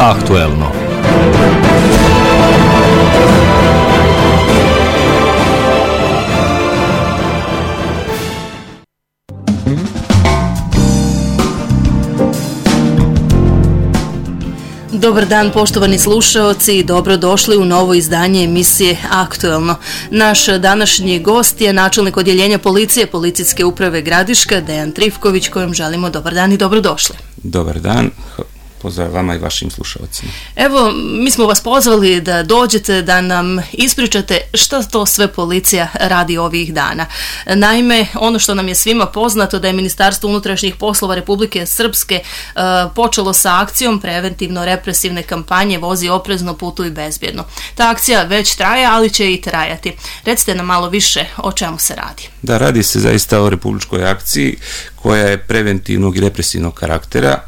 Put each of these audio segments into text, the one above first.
Aktuelno. Dobar dan poštovani slušaoci i dobrodošli u novo izdanje emisije Aktuelno. Naš današnji gost je načelnik odjeljenja policije Policijske uprave Gradiška, Dejan Trifković, kojem želimo dobar dan i dobrodošli. Dobar dan. Pozdrav vama i vašim slušalcima. Evo, mi smo vas pozvali da dođete, da nam ispričate šta to sve policija radi ovih dana. Naime, ono što nam je svima poznato da je Ministarstvo unutrašnjih poslova Republike Srpske počelo sa akcijom preventivno-represivne kampanje Vozi oprezno, putuj bezbjedno. Ta akcija već traje, ali će i trajati. Recite nam malo više o čemu se radi. Da, radi se zaista o republičkoj akciji koja je preventivnog i represivnog karaktera.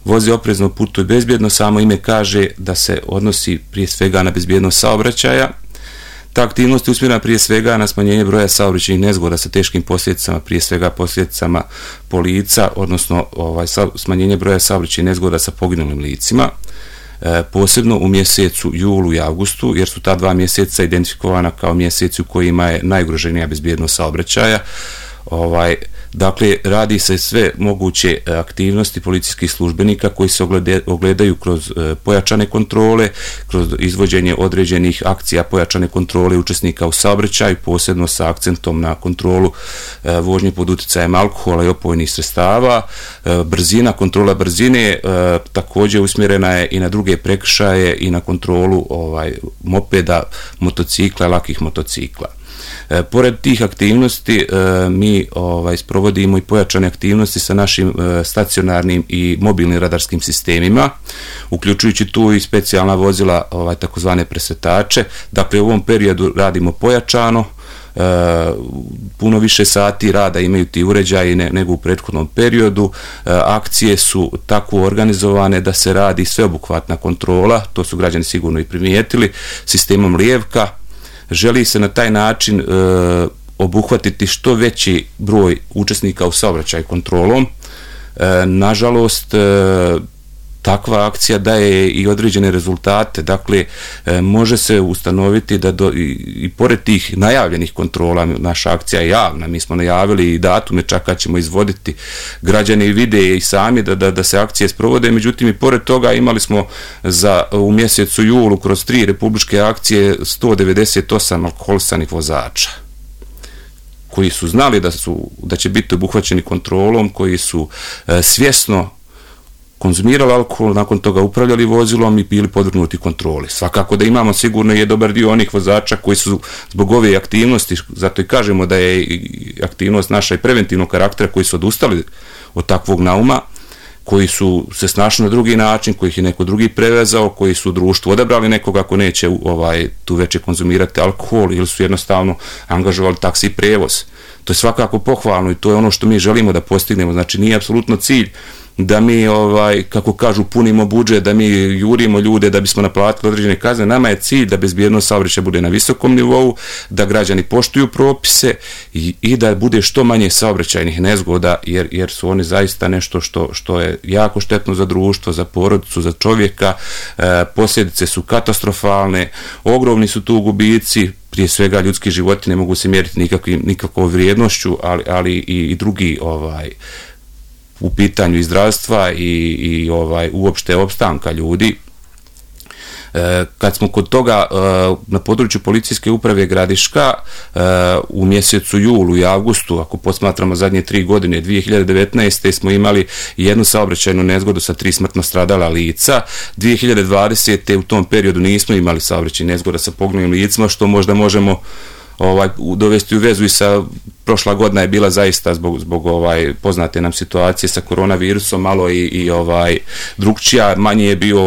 Vozi oprezno, putuj bezbjedno, samo ime kaže da se odnosi prije svega na bezbjednost saobraćaja. Ta aktivnost je usmjerena prije svega na smanjenje broja saobraćajnih nezgoda sa teškim posljedicama, prije svega posljedicama po lica, odnosno smanjenje broja saobraćajnih nezgoda sa poginulim licima, posebno u mjesecu julu i avgustu, jer su ta dva mjeseca identifikovana kao mjeseci u kojima je najugroženija bezbjednost saobraćaja. Dakle, radi se sve moguće aktivnosti policijskih službenika koji se ogledaju kroz pojačane kontrole, kroz izvođenje određenih akcija pojačane kontrole učesnika u saobraćaju, posebno sa akcentom na kontrolu vožnje pod utjecajem alkohola i opojnih sredstava. Brzina, kontrola brzine također usmjerena je i na druge prekršaje i na kontrolu mopeda, motocikla, lakih motocikla. Pored tih aktivnosti mi sprovodimo i pojačane aktivnosti sa našim stacionarnim i mobilnim radarskim sistemima, uključujući tu i specijalna vozila, takozvane presretače. Dakle, u ovom periodu radimo pojačano, puno više sati rada imaju ti uređaji nego u prethodnom periodu. Akcije su tako organizovane da se radi sveobuhvatna kontrola, to su građani sigurno i primijetili, sistemom lijevka. Želi se na taj način obuhvatiti što veći broj učesnika u saobraćaju kontrolom. Nažalost, takva akcija daje i određene rezultate. Dakle, može se ustanoviti da i pored tih najavljenih kontrola, naša akcija je javna, mi smo najavili i datume čak kad ćemo izvoditi, građani vide i sami da se akcije sprovode, međutim i pored toga imali smo u mjesecu julu kroz 3 republičke akcije 198 alkoholisanih vozača koji su znali da će biti obuhvaćeni kontrolom, koji su svjesno konzumirali alkohol, nakon toga upravljali vozilom i bili podvrgnuti kontroli. Svakako da imamo sigurno je dobar dio onih vozača koji su zbog ove aktivnosti, zato i kažemo da je aktivnost naša i preventivnog karaktera, koji su odustali od takvog nauma, koji su se snašli na drugi način, kojih je neko drugi prevezao, koji su u društvu odabrali nekoga ko neće tu veće konzumirati alkohol ili su jednostavno angažovali taksi prevoz. To je svakako pohvalno i to je ono što mi želimo da postignemo. Znači, nije apsolutno cilj da mi, kako kažu, punimo budžet, da mi jurimo ljude da bismo naplatili određene kazne. Nama je cilj da bezbjednost saobraćaja bude na visokom nivou, da građani poštuju propise i da bude što manje saobraćajnih nezgoda, jer su oni zaista nešto što je jako štetno za društvo, za porodicu, za čovjeka. Posljedice su katastrofalne, ogromni su tu gubici, prije svega ljudski životi ne mogu se mjeriti nikakvom vrijednošću, ali i drugi u pitanju i zdravstva i uopšte opstanka ljudi. Kad smo kod toga, na području Policijske uprave Gradiška u mjesecu julu i avgustu, ako posmatramo zadnje 3 godine, 2019. smo imali jednu saobraćajnu nezgodu sa 3 smrtno stradala lica. 2020. u tom periodu nismo imali saobraćajne nezgoda sa poginulim licima, što možda možemo dovesti u vezu i sa prošla godina je bila zaista zbog poznate nam situacije sa koronavirusom malo i drugčija, manje je bio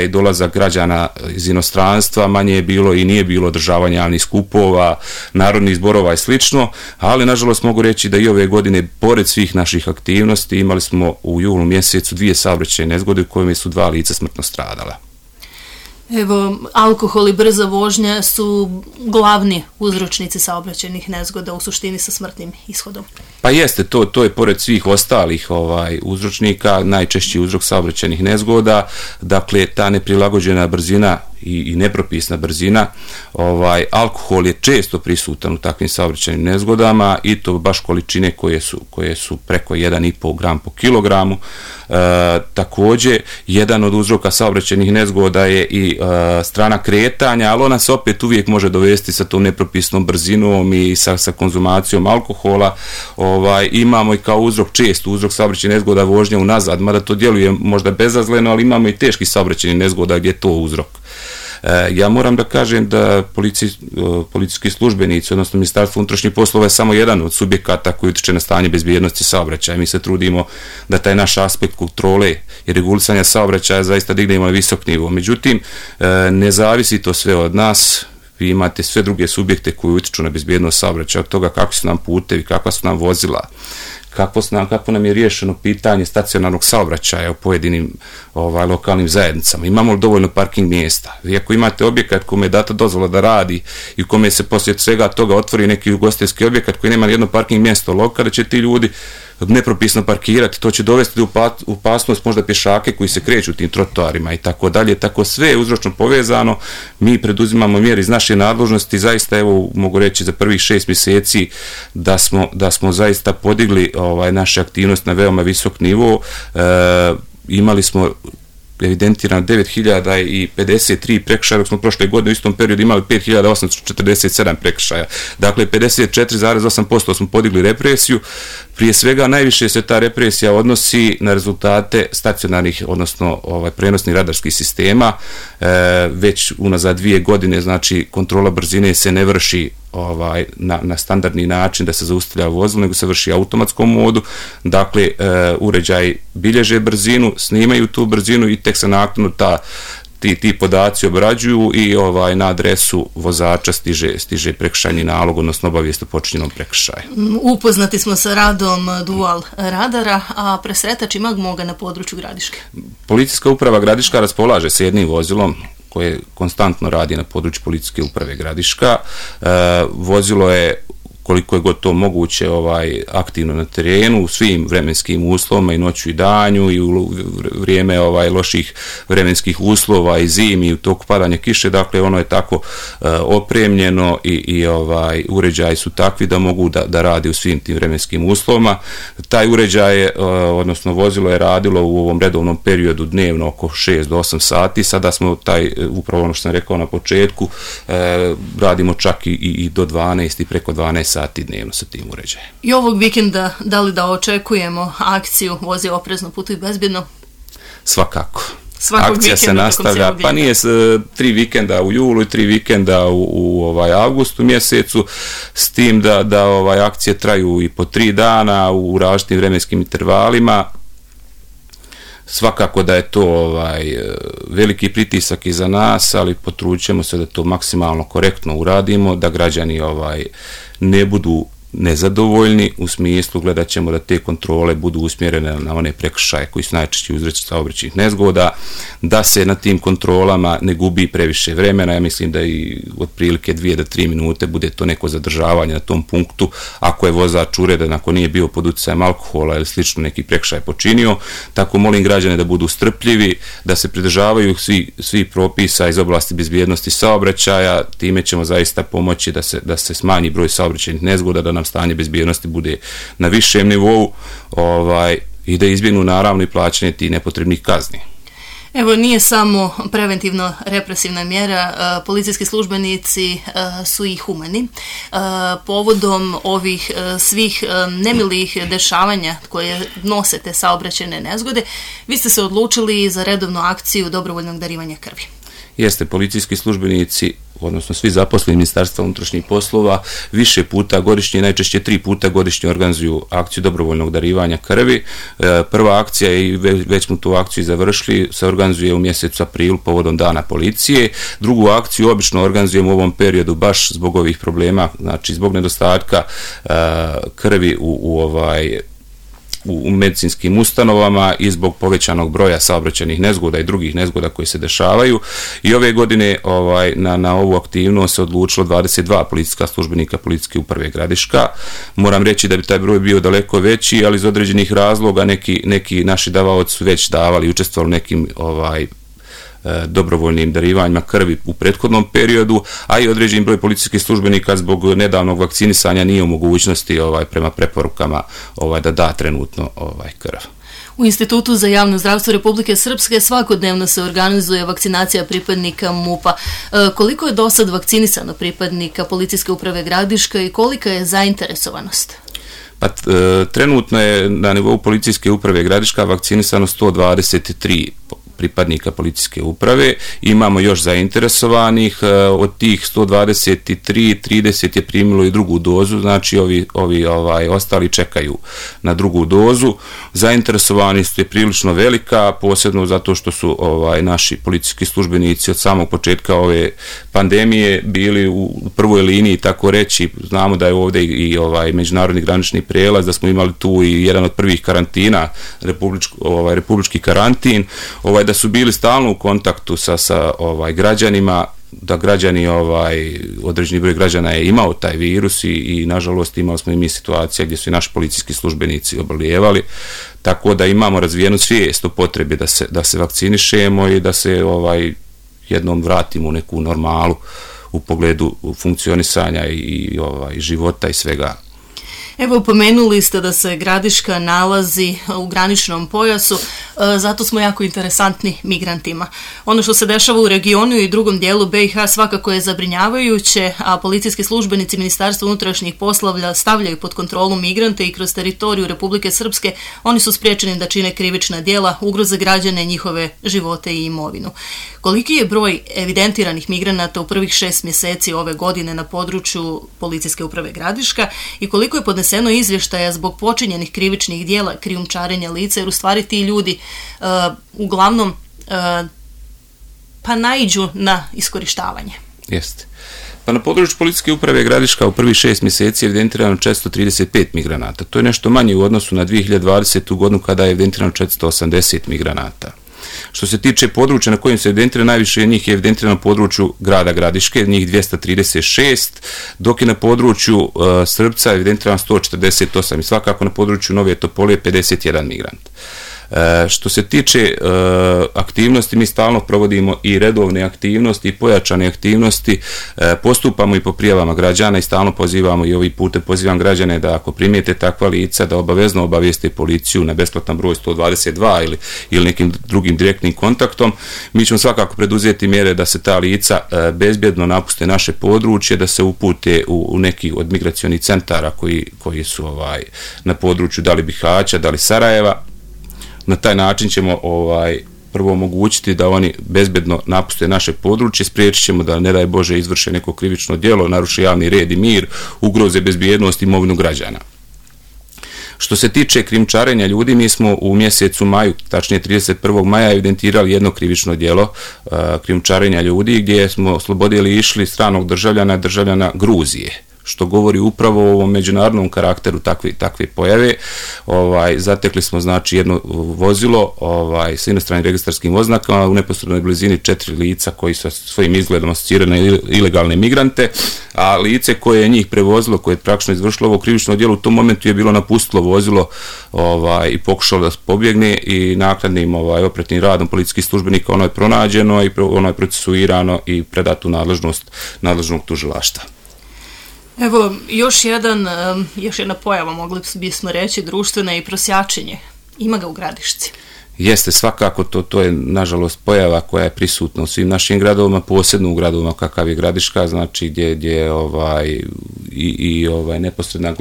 dolazak građana iz inostranstva, manje je bilo i nije bilo održavanja javnih skupova, narodnih zborova i slično, ali nažalost mogu reći da i ove godine pored svih naših aktivnosti imali smo u julu mjesecu 2 saobraćajne nezgode u kojima su 2 lica smrtno stradala. Evo, alkohol i brza vožnja su glavni uzročnici saobraćajnih nezgoda, u suštini sa smrtnim ishodom. Pa jeste, to je pored svih ostalih uzročnika, najčešći uzrok saobraćajnih nezgoda, dakle ta neprilagođena brzina i nepropisna brzina. Alkohol je često prisutan u takvim saobraćajnim nezgodama i to baš količine koje su preko 1,5 gram po kilogramu. Također, jedan od uzroka saobraćajnih nezgoda je i strana kretanja, ali ona se opet uvijek može dovesti sa tom nepropisnom brzinom i sa konzumacijom alkohola. Imamo i kao uzrok, često uzrok saobraćajnih nezgoda vožnja unazad, mada to djeluje možda bezazleno, ali imamo i teški saobraćajnih nezgoda gdje je to uzrok. Ja moram da kažem da policijski službenici, odnosno Ministarstvo unutrašnjih poslova je samo jedan od subjekata koji utiče na stanje bezbjednosti saobraćaja. Mi se trudimo da taj naš aspekt kontrole i regulisanja saobraćaja zaista dignemo na visok nivo. Međutim, ne zavisi to sve od nas. Vi imate sve druge subjekte koji utiču na bezbjednost saobraćaja, od toga kakvi su nam putevi, kakva su nam vozila, kako nam je riješeno pitanje stacionarnog saobraćaja u pojedinim lokalnim zajednicama. Imamo li dovoljno parking mjesta? Vi ako imate objekat kome je data dozvola da radi i u kome se poslije svega toga otvori neki ugostiteljski objekat koji nema nijedno parking mjesto, kada će ti ljudi nepropisno parkirati, to će dovesti u opasnost možda pješake koji se kreću tim trotoarima i tako dalje. Tako sve je uzročno povezano. Mi preduzimamo mjere iz naše nadležnosti. Zaista, evo, mogu reći za prvih 6 mjeseci da smo zaista podigli naše aktivnosti na veoma visok nivo. Imali smo evidentirano 9053 prekršaja, dok smo prošle godine u istom periodu imali 5847 prekršaja. Dakle, 54,8% smo podigli represiju. Prije svega, najviše se ta represija odnosi na rezultate stacionarnih, odnosno prenosnih radarskih sistema. Već unazad 2 godine, znači, kontrola brzine se ne vrši na standardni način da se zaustavlja vozilo, nego se vrši u automatskom modu. Dakle, uređaji bilježe brzinu, snimaju tu brzinu i tek se naknadno ti podaci obrađuju i na adresu vozača stiže prekršajni nalog, odnosno obavijest o počinjenom prekršaju. Upoznati smo sa radom dual radara, a presretač ima ga na području Gradiške. Policijska uprava Gradiška raspolaže sa jednim vozilom koje konstantno radi na području Policijske uprave Gradiška. Vozilo je, koliko je god to moguće, aktivno na terenu u svim vremenskim uslovima, i noću i danju, i u vrijeme loših vremenskih uslova, i zimi, i u toku padanja kiše. Dakle, ono je tako opremljeno i uređaji su takvi da mogu da radi u svim tim vremenskim uslovima. Taj uređaj, odnosno vozilo, je radilo u ovom redovnom periodu dnevno oko 6 do 8 sati. Sada smo upravo ono što sam rekao na početku, radimo čak i do 12 i preko 12 sati dnevno sa tim uređajem. I ovog vikenda, da li da očekujemo akciju Vozi oprezno, putuj bezbjedno? Svakako. Akcija se nastavlja, pa nije 3 vikenda u julu i 3 vikenda u avgustu mjesecu, s tim da akcije traju i po 3 dana u različitim vremenskim intervalima. Svakako da je to veliki pritisak i za nas, ali potrudit ćemo se da to maksimalno korektno uradimo, da građani ne budu nezadovoljni, u smislu gledat ćemo da te kontrole budu usmjerene na one prekršaje koji su najčešći uzročnici saobraćajnih nezgoda, da se na tim kontrolama ne gubi previše vremena. Ja mislim da i otprilike 2 do 3 minute bude to neko zadržavanje na tom punktu, ako je vozač uredan, ako nije bio pod utjecajem alkohola ili slično neki prekršaj počinio. Tako molim građane da budu strpljivi, da se pridržavaju svi propisa iz oblasti bezbjednosti saobraćaja. Time ćemo zaista pomoći da se smanji broj saobraćajnih nezgoda, da nam stanje bezbjednosti bude na višem nivou i da izbjegnu naravno i plaćanje tih nepotrebnih kazni. Evo, nije samo preventivno represivna mjera, policijski službenici su i humani. Povodom ovih svih nemilih dešavanja koje nose te saobraćajne nezgode, vi ste se odlučili za redovnu akciju dobrovoljnog darivanja krvi. Jeste, policijski službenici, odnosno svi zaposleni Ministarstva unutrašnjih poslova, više puta godišnje, najčešće 3 puta godišnje organizuju akciju dobrovoljnog darivanja krvi. Prva akcija, i već smo tu akciju završili, se organizuje u mjesecu aprilu povodom Dana policije. Drugu akciju obično organizujemo u ovom periodu baš zbog ovih problema, znači zbog nedostatka krvi u u medicinskim ustanovama i zbog povećanog broja saobraćajnih nezgoda i drugih nezgoda koji se dešavaju. I ove godine na ovu aktivnost se odlučilo 22 policijska službenika Policijske uprave Gradiška. Moram reći da bi taj broj bio daleko veći, ali iz određenih razloga neki naši davaoci su već davali i učestvovali u nekim dobrovoljnim darivanjima krvi u prethodnom periodu, a i određen broj policijskih službenika zbog nedavnog vakcinisanja nije u mogućnosti prema preporukama da da trenutno krv. U Institutu za javno zdravstvo Republike Srpske svakodnevno se organizuje vakcinacija pripadnika MUP-a. Koliko je do sad vakcinisano pripadnika Policijske uprave Gradiška i kolika je zainteresovanost? Trenutno je na nivou Policijske uprave Gradiška vakcinisano 123 pripadnika policijske uprave. Imamo još zainteresovanih, od tih 123, 30 je primilo i drugu dozu, znači ovi ostali čekaju na drugu dozu. Zainteresovanost je prilično velika, posebno zato što su naši policijski službenici od samog početka ove pandemije bili u prvoj liniji, tako reći. Znamo da je ovdje i međunarodni granični prijelaz, da smo imali tu i jedan od prvih karantina, republički karantin, da su bili stalno u kontaktu sa građanima, da građani, određeni broj građana je imao taj virus i nažalost imali smo i mi situacije gdje su i naši policijski službenici obolijevali, tako da imamo razvijenu svijest o potrebi da se vakcinišemo i da se jednom vratimo u neku normalu u pogledu funkcionisanja i života i svega. Evo, pomenuli ste da se Gradiška nalazi u graničnom pojasu, zato smo jako interesantni migrantima. Ono što se dešava u regionu i drugom dijelu BiH svakako je zabrinjavajuće, a policijski službenici Ministarstva unutrašnjih poslova stavljaju pod kontrolu migrante i kroz teritoriju Republike Srpske oni su spriječeni da čine krivična djela, ugroze građane, njihove živote i imovinu. Koliki je broj evidentiranih migranata u prvih 6 mjeseci ove godine na području Policijske uprave Gradiška i koliko je podneseno izvještaja zbog počinjenih krivičnih djela krijumčarenja lica, jer u stvari ti ljudi uglavnom naiđu na iskorištavanje? Jeste. Na području Policijske uprave Gradiška u prvih 6 mjeseci je evidentirano 435 migranata. To je nešto manje u odnosu na 2020. godinu kada je evidentirano 480 migranata. Što se tiče područja na kojim se evidentira, najviše njih je evidentirano na području grada Gradiške, njih 236, dok je na području Srpca evidentirano 148 i svakako na području Nove Topole 51 migrant. Što se tiče aktivnosti, mi stalno provodimo i redovne aktivnosti i pojačane aktivnosti, postupamo i po prijavama građana i stalno pozivamo i ovim putem pozivam građane da ako primijete takva lica da obavezno obavijeste policiju na besplatan broj 122 ili nekim drugim direktnim kontaktom. Mi ćemo svakako preduzeti mjere da se ta lica bezbjedno napuste naše područje, da se upute u neki od migracionih centara koji su na području da li Bihaća, da li Sarajeva. Na taj način ćemo prvo omogućiti da oni bezbedno napuste naše područje, spriječit ćemo da, ne daj Bože, izvrše neko krivično djelo, naruši javni red i mir, ugroze bezbjednost i imovinu građana. Što se tiče krijumčarenja ljudi, mi smo u mjesecu maju, tačnije 31. maja, evidentirali jedno krivično djelo krijumčarenja ljudi gdje smo oslobodili išli stranog državljana Gruzije, što govori upravo o ovom međunarodnom karakteru takve pojave. Zatekli smo znači jedno vozilo s inostranim registarskim oznakama u neposrednoj blizini 4 lica koji sa svojim izgledom asociraju na ilegalne migrante, a lice koje je njih prevozilo, koje je praktično izvršilo ovo krivično djelo, u tom momentu je bilo napustilo vozilo i pokušalo da pobjegne i naknadnim operativnim radom policijskih službenika ono je pronađeno i ono je procesuirano i predato u nadležnost nadležnog tužilaštva. Evo, još jedna pojava, mogli bismo reći, društvena i prosjačenje. Ima ga u Gradišci? Jeste, svakako to je nažalost pojava koja je prisutna u svim našim gradovima, posebno u gradovima kakav je Gradiška, znači gdje je neposredna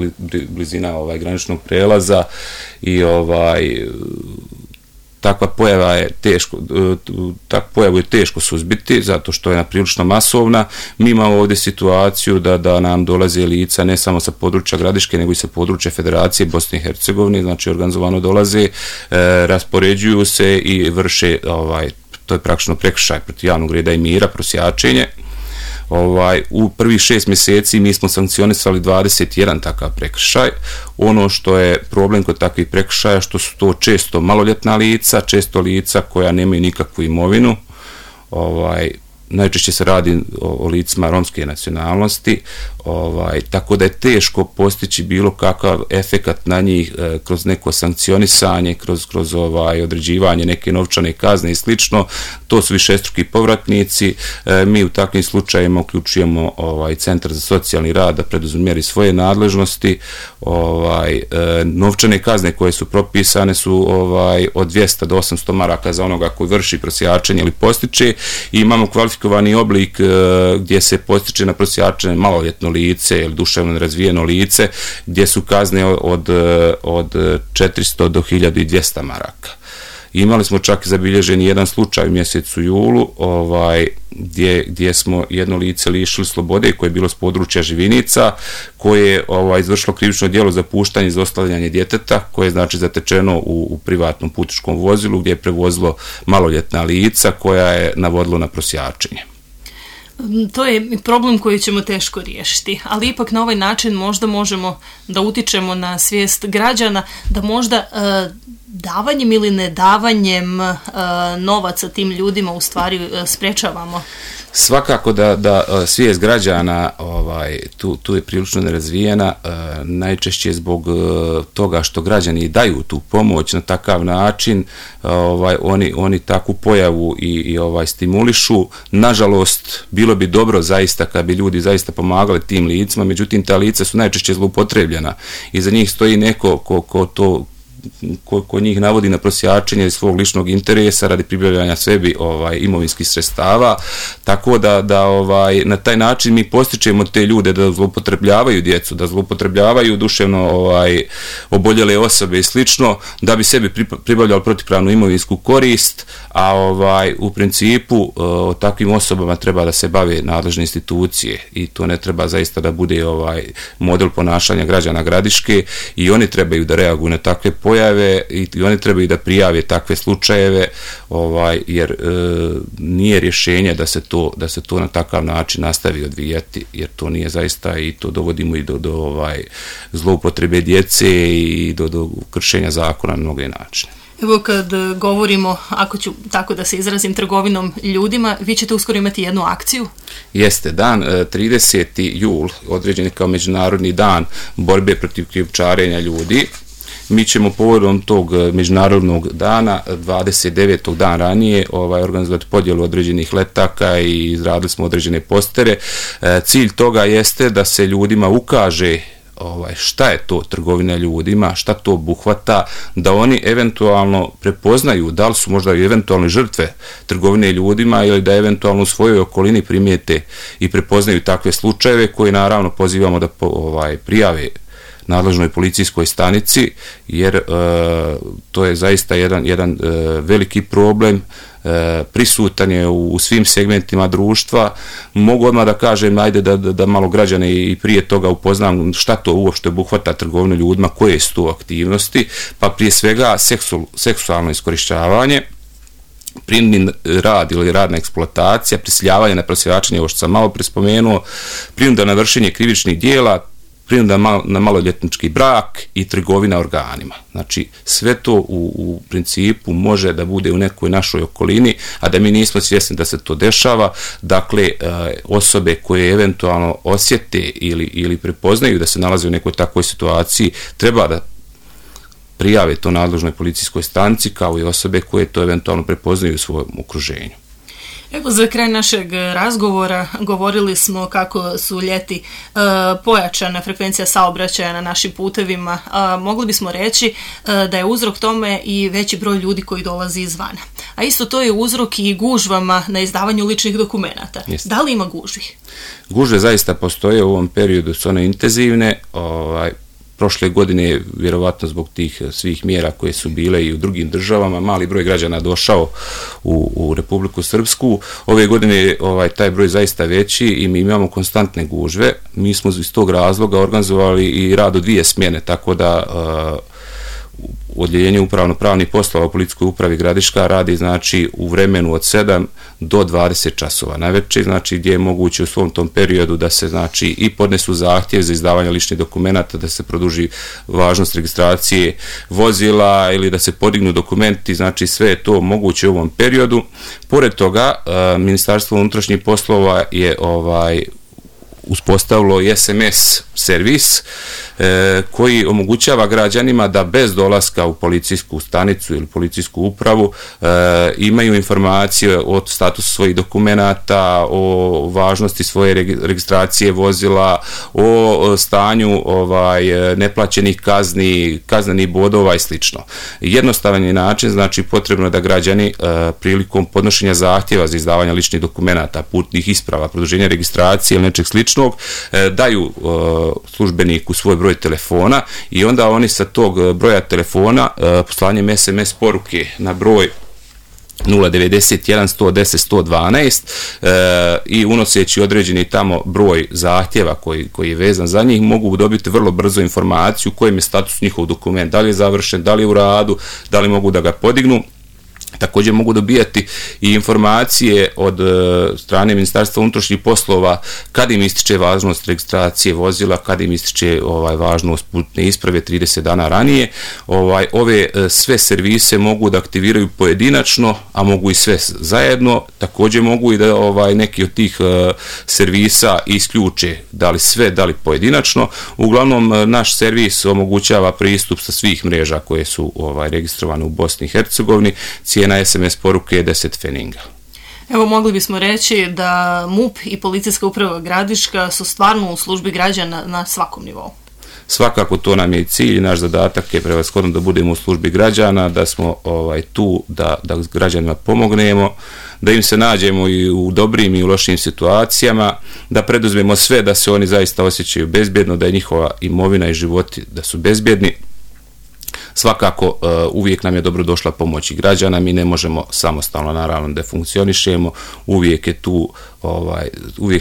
blizina graničnog prelaza i takva pojava je pojavu je teško suzbiti zato što je prilično masovna. Mi imamo ovdje situaciju da nam dolaze lica ne samo sa područja Gradiške nego i sa područja Federacije Bosne i Hercegovine, znači organizovano dolaze, raspoređuju se i vrše, to je praktično prekršaj protiv javnog reda i mira, prosjačenje. U prvih 6 mjeseci mi smo sankcionisali 21 takav prekršaj. Ono što je problem kod takvih prekršaja, što su to često maloljetna lica, često lica koja nemaju nikakvu imovinu, najčešće se radi o licima romske nacionalnosti, tako da je teško postići bilo kakav efekat na njih kroz neko sankcionisanje, kroz određivanje neke novčane kazne i slično. To su višestruki povratnici. Mi u takvim slučajevima uključujemo Centar za socijalni rad da preduzme mjeri svoje nadležnosti. Novčane kazne koje su propisane su od 200 do 800 maraka za onoga koji vrši prosjačenje ili postiče, i imamo kvalifikovani oblik gdje se postiče na prosjačenje maloljetno lice ili duševno nerazvijeno lice, gdje su kazne od 400 do 1200 maraka. Imali smo čak zabilježen jedan slučaj u mjesecu julu gdje smo jedno lice lišili slobode koje je bilo s područja Živinica, koje je izvršilo krivično djelo za puštanje i zlostavljanje djeteta, koje je znači zatečeno u privatnom putničkom vozilu gdje je prevozilo maloljetna lica koja je navodilo na prosjačenje. To je problem koji ćemo teško riješiti, ali ipak na ovaj način možda možemo da utičemo na svijest građana, da možda davanjem ili nedavanjem novaca tim ljudima u stvari sprečavamo. Svakako da svijest građana tu je prilično nerazvijena, najčešće zbog toga što građani daju tu pomoć na takav način, oni takvu pojavu i stimulišu. Nažalost, bilo bi dobro zaista kad bi ljudi zaista pomagali tim licima, međutim ta lica su najčešće zloupotrebljena i za njih stoji neko ko njih navodi na prosjačenje svog ličnog interesa radi pribavljanja sebi imovinskih sredstava, tako da na taj način mi postičemo te ljude da zloupotrebljavaju djecu, da zloupotrebljavaju duševno oboljele osobe i slično, da bi sebi pribavljali protivpravnu imovinsku korist, a u principu o takvim osobama treba da se bave nadležne institucije i to ne treba zaista da bude model ponašanja građana Gradiške, i oni trebaju da reaguju na takve pojave i oni trebaju da prijave takve slučajeve, jer nije rješenje da se to na takav način nastavi odvijati, jer to nije zaista, i to dovodimo i do zloupotrebe djece i do kršenja zakona na mnoge načine. Evo kad govorimo, ako ću tako da se izrazim, trgovinom ljudima, vi ćete uskoro imati jednu akciju? Jeste, dan 30. jul određen je kao Međunarodni dan borbe protiv krijumčarenja ljudi. Mi ćemo povodom tog međunarodnog dana, 29. dan ranije, organizovati podjelu određenih letaka i izradili smo određene postere. Cilj toga jeste da se ljudima ukaže šta je to trgovina ljudima, šta to obuhvata, da oni eventualno prepoznaju da li su možda i eventualne žrtve trgovine ljudima ili da eventualno u svojoj okolini primijete i prepoznaju takve slučajeve koje naravno pozivamo da prijave nadležnoj policijskoj stanici, jer to je zaista jedan veliki problem, prisutan je u svim segmentima društva. Mogu odmah da kažem, ajde da malo građane i prije toga upoznam šta to uopšte obuhvata trgovinu ljudima, koje su to aktivnosti, pa prije svega seksualno iskorištavanje, prinudni rad ili radna eksploatacija, prisiljavanje na prosjačenje, ovo što sam malo prispomenuo, prinuda na vršenje krivičnih djela, prinuda na maloljetnički brak i trgovina organima. Znači, sve to u principu može da bude u nekoj našoj okolini, a da mi nismo svjesni da se to dešava. Dakle, osobe koje eventualno osjete ili prepoznaju da se nalaze u nekoj takvoj situaciji, treba da prijave to nadležnoj policijskoj stanici, kao i osobe koje to eventualno prepoznaju u svojom okruženju. Evo, za kraj našeg razgovora govorili smo kako su ljeti pojačana frekvencija saobraćaja na našim putevima. Mogli bismo reći da je uzrok tome i veći broj ljudi koji dolazi izvana. A isto to je uzrok i gužvama na izdavanju ličnih dokumenata. Jeste. Da li ima gužvi? Gužve zaista postoje u ovom periodu, su one intenzivne. Prošle godine, vjerovatno zbog tih svih mjera koje su bile i u drugim državama, mali broj građana došao u Republiku Srpsku. Ove godine je taj broj zaista veći i mi imamo konstantne gužve. Mi smo iz tog razloga organizovali i rad u 2 smjene, tako da odjeljenje upravno-pravnih poslova u policijskoj upravi Gradiška radi znači u vremenu od 7 do 20 časova najveće, znači gdje je moguće u svom tom periodu da se znači i podnesu zahtjev za izdavanje ličnih dokumenata, da se produži važnost registracije vozila ili da se podignu dokumenti, znači sve je to moguće u ovom periodu. Pored toga, Ministarstvo unutrašnjih poslova je uspostavilo i SMS servis koji omogućava građanima da bez dolaska u policijsku stanicu ili policijsku upravu imaju informacije o statusu svojih dokumenata, o važnosti svoje registracije vozila, o stanju neplaćenih kaznenih bodova i slično. Jednostavan je način, znači potrebno da građani prilikom podnošenja zahtjeva za izdavanje ličnih dokumenata, putnih isprava, produženja registracije ili nečeg sličnog, daju službeniku svoj broj telefona i onda oni sa tog broja telefona poslanjem SMS poruke na broj 091 110 112 i unoseći određeni tamo broj zahtjeva koji je vezan za njih, mogu dobiti vrlo brzo informaciju kojem je status njihov dokument, da li je završen, da li je u radu, da li mogu da ga podignu. Također mogu dobijati i informacije od strane Ministarstva unutrašnjih poslova kad im ističe važnost registracije vozila, kad im ističe važnost putne isprave 30 dana ranije. Ove sve servise mogu da aktiviraju pojedinačno, a mogu i sve zajedno. Također mogu i da neki od tih servisa isključe, da li sve, da li pojedinačno. Uglavnom, naš servis omogućava pristup sa svih mreža koje su registrovane u Bosni i Hercegovini. Cijena SMS poruke je 10 feninga. Evo, mogli bismo reći da MUP i Policijska uprava Gradiška su stvarno u službi građana na svakom nivou. Svakako to nam je i cilj, naš zadatak je prevashodno da budemo u službi građana, da smo tu da građanima pomognemo, da im se nađemo i u dobrim i u lošim situacijama, da preduzmemo sve da se oni zaista osjećaju bezbjedno, da je njihova imovina i životi da su bezbjedni. Svakako uvijek nam je dobro došla pomoć i građana, mi ne možemo samostalno naravno da funkcionišemo, uvijek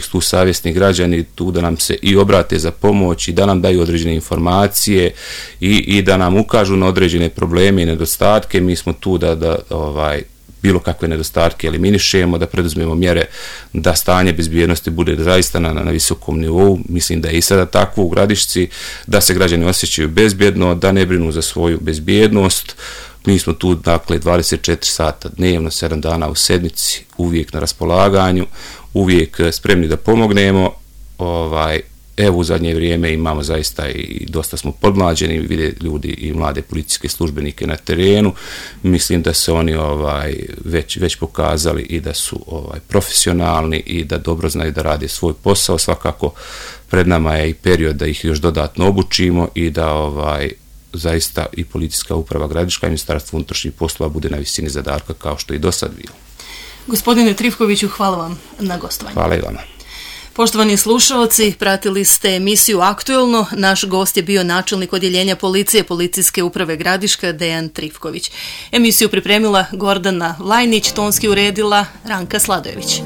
su tu savjesni građani tu da nam se i obrate za pomoć i da nam daju određene informacije i da nam ukažu na određene probleme i nedostatke. Mi smo tu da bilo kakve nedostatke eliminišemo, da preduzmemo mjere da stanje bezbjednosti bude zaista na visokom nivou. Mislim da je i sada tako u Gradišci, da se građani osjećaju bezbjedno, da ne brinu za svoju bezbjednost. Mi smo tu, dakle, 24 sata dnevno, 7 dana u sedmici, uvijek na raspolaganju, uvijek spremni da pomognemo. Evo, u zadnje vrijeme imamo zaista i dosta smo podmlađeni, vide ljudi i mlade policijske službenike na terenu. Mislim da se oni već pokazali i da su profesionalni i da dobro znaju da rade svoj posao. Svakako pred nama je i period da ih još dodatno obučimo i da zaista i Policijska uprava Gradiška i Ministarstvo unutrašnjih poslova bude na visini zadatka kao što i do sad bilo. Gospodine Trifkoviću, hvala vam na gostovanju. Hvala i vama. Poštovani slušalci, pratili ste emisiju Aktuelno. Naš gost je bio načelnik odjeljenja policije Policijske uprave Gradiška Dejan Trifković. Emisiju pripremila Gordana Lajnić, tonski uredila Ranka Sladojević.